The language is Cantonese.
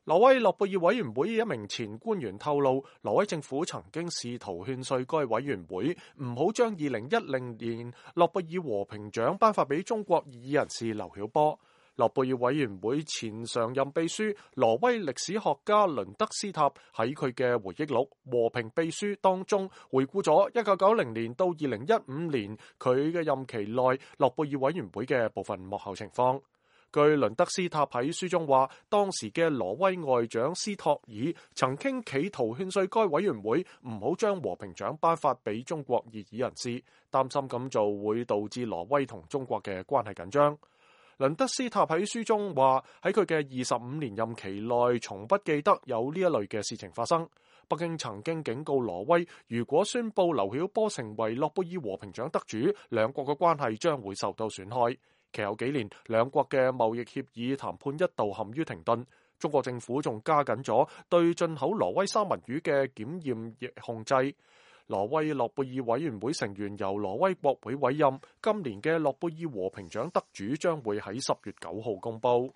挪威諾貝爾委員會一名前官員透露，挪威政府曾經試圖勸說該委員會唔好將2010年諾貝爾和平獎頒發俾中國異議人士劉曉波。諾貝爾委員會前常任秘書挪威歷史學家倫德斯塔喺佢嘅回憶錄《和平秘書》當中回顧咗1990年到2015年佢嘅任期內諾貝爾委員會嘅部分幕後情況。據倫德斯塔喺書中話，當時嘅挪威外長斯托爾曾經企圖勸說該委員會唔好將和平獎頒發俾中國異議人士，擔心咁做會導致挪威同中國嘅關係緊張。倫德斯塔喺書中話，喺佢嘅25年任期內，從不記得有呢一類嘅事情發生。北京曾經警告挪威，如果宣布劉曉波成為諾貝爾和平獎得主，兩國嘅關係將會受到損害。其後幾年，兩國嘅貿易協議談判一度陷於停頓。中國政府仲加緊咗對進口挪威三文魚嘅檢驗控制。挪威諾貝爾委員會成員由挪威國會委任，今年嘅諾貝爾和平獎得主將會喺10月9號公佈。